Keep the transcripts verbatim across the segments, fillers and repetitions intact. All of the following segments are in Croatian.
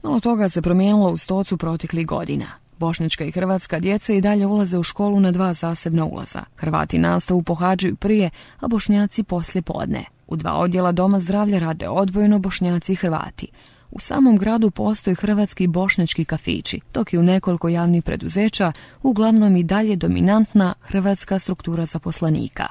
Malo toga se promijenilo u Stocu proteklih godina. Bošnjačka i hrvatska djeca i dalje ulaze u školu na dva zasebna ulaza. Hrvati nastavu pohađaju prije, a Bošnjaci poslije podne. U dva odjela doma zdravlja rade odvojeno Bošnjaci i Hrvati. U samom gradu postoje hrvatski i bošnjački kafići, dok je u nekoliko javnih preduzeća uglavnom i dalje dominantna hrvatska struktura zaposlenika.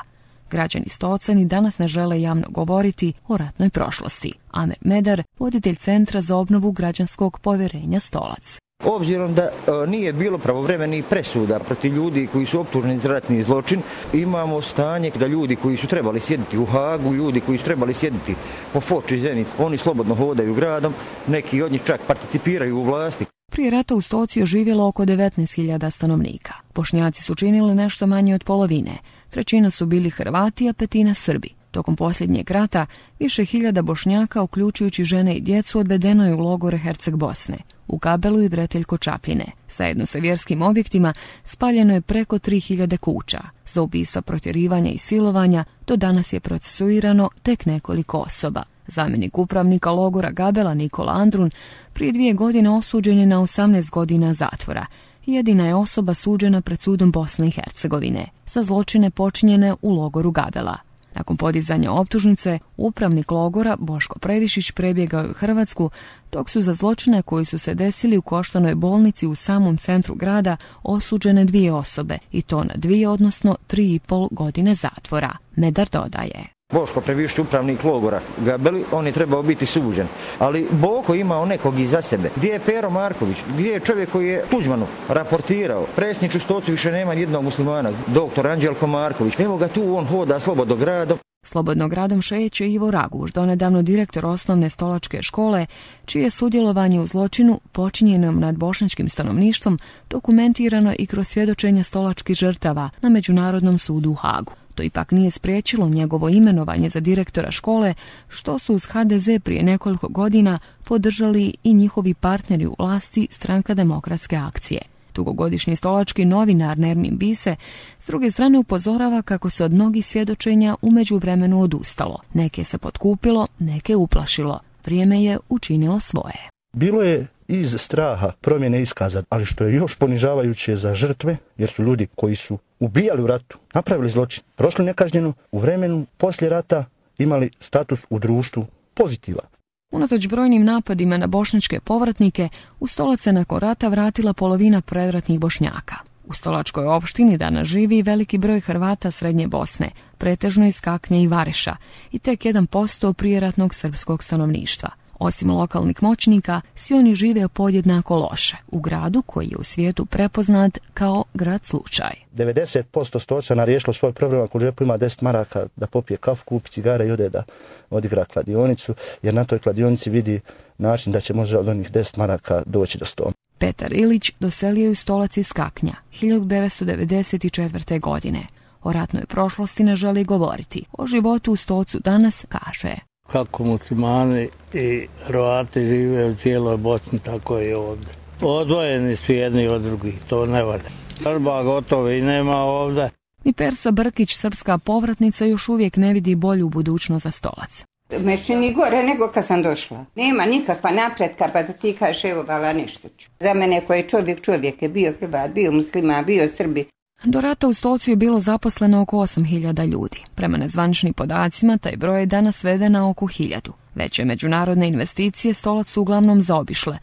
Građani Stoca ni danas ne žele javno govoriti o ratnoj prošlosti. Amer Medar, voditelj Centra za obnovu građanskog povjerenja Stolac. Obzirom da e, nije bilo pravovremenih presuda protiv ljudi koji su optuženi za ratni zločin, imamo stanje da ljudi koji su trebali sjediti u Hagu, ljudi koji su trebali sjediti po Foči, Zenici, oni slobodno hodaju gradom, neki od njih čak participiraju u vlasti. Prije rata u Stoci je živjelo oko devetnaest hiljada stanovnika. Bošnjaci su činili nešto manje od polovine, trećina su bili Hrvati, a petina Srbi. Tokom posljednjeg rata više hiljada Bošnjaka, uključujući žene i djecu, odvedeno je u logore Herceg Bosne, u Gabelu i Vreteljko Čapljine. Zajedno sa vjerskim objektima spaljeno je preko tri hiljade kuća. Za ubistva, protjerivanja i silovanja do danas je procesuirano tek nekoliko osoba. Zamjenik upravnika logora Gabela Nikola Andrun prije dvije godine osuđen je na osamnaest godina zatvora. Jedina je osoba suđena pred sudom Bosne i Hercegovine za zločine počinjene u logoru Gabela. Nakon podizanja optužnice, upravnik logora Boško Previšić prebjegao je u Hrvatsku, dok su za zločine koji su se desili u Koštanoj bolnici u samom centru grada osuđene dvije osobe, i to na dvije, odnosno tri i pol godine zatvora. Medar dodaje. Boško Previšić, upravnik logora Gabeli, on je trebao biti suđen. Ali Boko imao nekog iza sebe. Gdje je Pero Marković? Gdje je čovjek koji je Tuđmanu raportirao? Predsjednič u Stocu više nema jednog muslimana, doktor Anđelko Marković. Evo ga tu, on hoda slobodno gradom. Slobodno gradom šeće Ivo Raguž, donedavno direktor osnovne stolačke škole, čije sudjelovanje u zločinu počinjenom nad bošnjačkim stanovništvom dokumentirano i kroz svjedočenja stolačkih žrtava na Međunarodnom sudu u Hagu. To ipak nije spriječilo njegovo imenovanje za direktora škole, što su uz ha de ze prije nekoliko godina podržali i njihovi partneri u vlasti Stranka demokratske akcije. Dugogodišnji stolački novinar Nermin Bise s druge strane upozorava kako se od mnogih svjedočenja u međuvremenu odustalo. Neke se potkupilo, neke uplašilo. Vrijeme je učinilo svoje. Bilo je iz straha promjene iskaza, ali što je još ponižavajuće za žrtve, jer su ljudi koji su ubijali u ratu, napravili zločin, prošli nekažnjeno, u vremenu poslije rata imali status u društvu pozitivan. Unatoč brojnim napadima na bošnjačke povratnike, u Stolac se nakon rata vratila polovina predratnih Bošnjaka. U stolačkoj opštini danas živi veliki broj Hrvata Srednje Bosne, pretežno iz Kaknje i Vareša, i tek jedan posto prijeratnog srpskog stanovništva. Osim lokalnih moćnika, svi oni žive podjednako loše, u gradu koji je u svijetu prepoznat kao grad slučaj. devedeset posto Stočana riješilo svoj problem ako u džepu ima deset maraka da popije kafu, kupi cigare i ode da odigra kladionicu, jer na toj kladionici vidi način da će možda od onih deset maraka doći do sto. Petar Ilić doselio je u Stolac iz Kaknja hiljadu devetsto devedeset četvrte. godine. O ratnoj prošlosti ne želi govoriti. O životu u Stocu danas kaže: kako muslimani i Hrvati žive u cijeloj Bosni, tako i ovdje. Odvojeni su jedni od drugih, to ne valja. Srba gotovo i nema ovdje. Ni Persa Brkić, srpska povratnica, još uvijek ne vidi bolju budućnost za Stolac. Mešćini gore nego kad sam došla. Nema nikakva napretka pa da ti kažeš evo vala nešto ću. Za mene koji je čovjek čovjek je bio Hrvat, bio musliman, bio Srbi. Do rata u Stolcu je bilo zaposleno oko osam hiljada ljudi. Prema nezvaničnim podacima, taj broj je danas sveden na oko hiljadu. Veće međunarodne investicije Stolac su uglavnom zaobišle.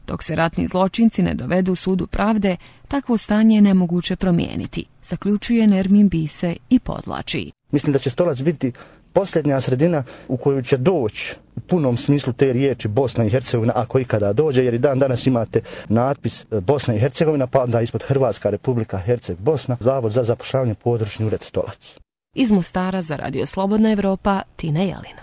Dok se ratni zločinci ne dovedu u sudu pravde, takvo stanje je nemoguće promijeniti, zaključuje Nermin Bise i podvlači. Mislim da će Stolac biti posljednja sredina u koju će doći u punom smislu te riječi Bosna i Hercegovina, ako ikada dođe, jer i dan danas imate natpis Bosna i Hercegovina, pa onda ispod Hrvatska Republika Herceg Bosna, Zavod za zapošljavanje, područni ured Stolac. Iz Mostara za Radio Slobodna Evropa, Tina Jelina.